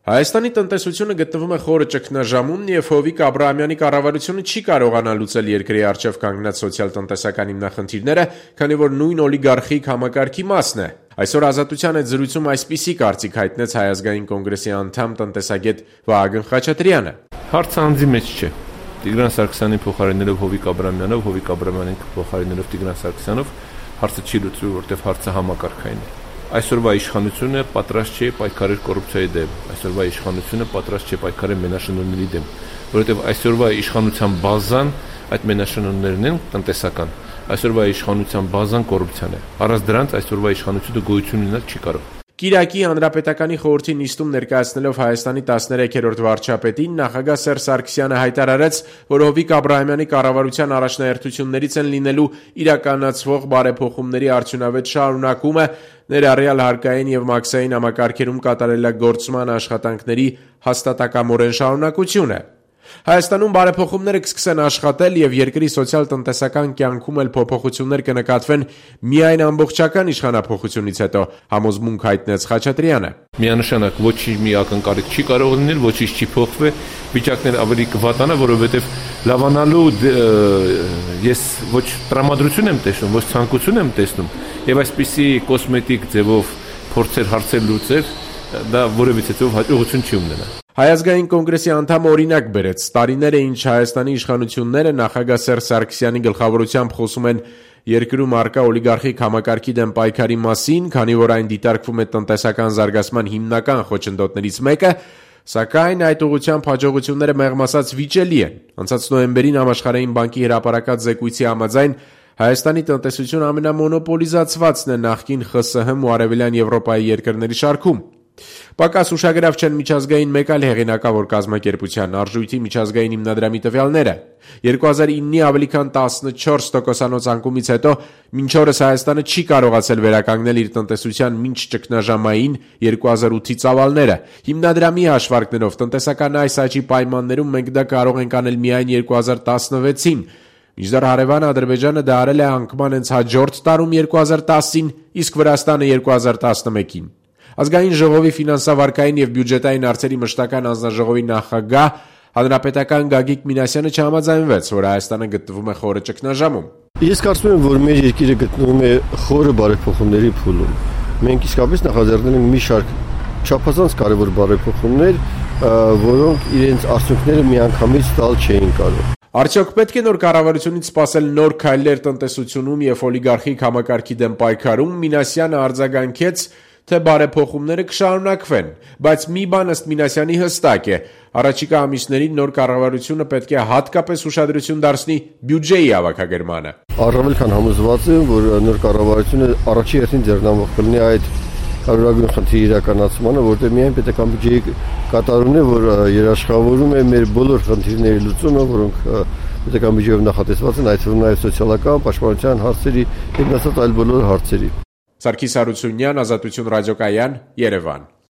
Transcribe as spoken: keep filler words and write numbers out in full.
Հայաստանի տնտեսությունը գտնվում է խորը ճգնաժամում եւ Հովիկ Աբրահամյանի կառավարությունը չի կարողանա լուծել երկրի առջեւ կանգնած սոցիալ-տնտեսական հիմնախնդիրները, քանի որ նույն օլիգարխիկ համակարգի մասն է։ Այսօր Ազատության հետ զրույցում այսպիսի կարծիք հայտնեց Հայ ազգային կոնգրեսի անդամ տնտեսագետ Վահագն Խաչատրյանը։ Հարցը անձի մեջ չէ։ Տիգրան Սարգսյանին փոխարինելով Հովիկ Աբրահամյանով, Հովիկ Աբրահամյանին փոխարինելով Տիգրան Սարգսյանով հարցը չի լուծվի, որտեղ հարցը համակարգային է։ Այսօրվա իշխանությունը պատրաստ չէ պայքարել կոռուպցիայի դեմ, այսօրվա իշխանությունը պատրաստ չէ պայքարել մենաշնորհների դեմ, որովհետև այսօրվա իշխանության բազան այդ մենաշնորհներն են տնտեսական, այսօրվա իշխանության բազան կոռուպցիան է։ Առանց դրանց այսօրվա իշխանությունը գոյություն ունենալ չի կարող։ Կիրակի Հանրապետականի խորհրդի նիստում ներկայացնելով Հայաստանի տասներեքերորդ վարչապետին նախագահ Սերժ Սարգսյանը հայտարարեց, որ Հովիկ Աբրահամյանի կառավարության առաջնահերթություններից են լինելու իրականացվող բարեփոխումների արդյունավետ շարունակումը, ներառյալ հարկային եւ մաքսային համակարգերում կատարելագործման աշխատանքների հաստատակամորեն շարունակությունը։ Հայաստանում բարեփոխումները կսկսեն աշխատել եւ երկրի սոցիալ-տնտեսական կյանքում էլ փոփոխություններ կնկատվեն միայն ամբողջական իշխանափոխությունից հետո, համոզմունք հայտնեց Խաչատրյանը։ Միանշանակ ոչինչ մի ակնկալիք չի կարող լինել, ոչինչ չի փոխվի, վիճակներ ավելի կվատանա, որովհետեւ լավանալու ես ոչ տրամադրություն եմ տեսնում, ոչ ցանկություն եմ տեսնում, եւ այսպիսի կոսմետիկ ձևով փորձեր հարցեր լուծել, դա որևիցե ձեւով հաջողություն չի ունենա։ Հայ ազգային կոնգրեսի անդամ օրինակ բերեց. տարիներ է ինչ Հայաստանի իշխանությունները նախագահ Սերժ Սարգսյանի գլխավորությամբ խոսում են երկրում առկա օլիգարխիկ համակարգի դեմ պայքարի մասին, քանի որ այն դիտարկվում է տնտեսական զարգացման հիմնական խոչընդոտներից մեկը, սակայն այդ ուղղությամբ հաջողությունները մեղմ ասած վիճելի են։ Անցած նոյեմբերին Համաշխարհային բանկի հրապարակած զեկույցի համաձայն Հայաստանի տնտեսությունը ամենամոնոպոլիզացվածն է նախկին ԽՍՀՄ ու Արևելյան Եվրոպայի երկրների շարքում։ Պակաս ուշագրավ չեն միջազգային մեկ այլ հեղինակավոր կազմակերպության արժույթի միջազգային հիմնադրամի տվյալները։ երկու հազար իննի ավելի քան տասնչորս տոկոսանոց անկումից հետո մինչ օրս Հայաստանը չի կարողացել վերականգնել իր տնտեսության մինչ ճգնաժամային երկու հազար ութի ծավալները։ Հիմնադրամի հաշվարկներով տնտեսական այս աճի պայմաններում մենք դա կարող ենք անել միայն երկու հազար տասնվեցին, մինչդեռ հարևան Ադրբեջանը դա արել է անկման հենց հաջորդ տարում երկու հազար տասին, իսկ Վրաստանը երկու հազար տասնմեկին։ Ազգային ժողովի ֆինանսավարկային եւ բյուջետային հարցերի մշտական անձնաժողովի նախագահ հանրապետական Գագիկ Մինասյանը չհամաձայնվեց, որ Հայաստանը գտնվում է խորը ճգնաժամում։ Ես կարծում եմ, որ մեր երկիրը գտնվում է խորը բարեփոխումների փուլում։ Մենք իսկապես նախաձեռնել ենք մի շարք չափազանց կարևոր բարեփոխումներ, որոնք իրենց արդյունքները միանգամից տալ չէին կարող։ Արդյոք պետք է նոր կառավարությունից սպասել նոր քայլեր տնտեսությունում եւ օլիգարխիկ համակարգի դեմ պայքարում։ Մինասյանը արձագանքեց, թե բարեփոխումները կշարունակվեն, բայց մի բան ըստ Մինասյանի հստակ է. առաջիկա ամիսներին նոր կառավարությունը պետք է հատկապես ուշադրություն դարձնի բյուջեի հավաքագրմանը։ Առավել քան համոզված եմ, որ նոր կառավարությունը առաջի հերթին ձեռնամուխ կլինի այդ կարևորագույն խնդրի իրականացմանը, որտեղ միայն պետական բյուջեի կատարումն է, որ երաշխավորում է մեր բոլոր խնդիրների լուծումը, որոնք պետական բյուջեով նախատեսված են, այդ թվում նաև սոցիալական, պաշտպանության հարցերի եւ նույնիսկ այլ բոլոր հարցերի։ Սարգիս Հարությունյան, Ազատություն ռադիոկայան, Երևան։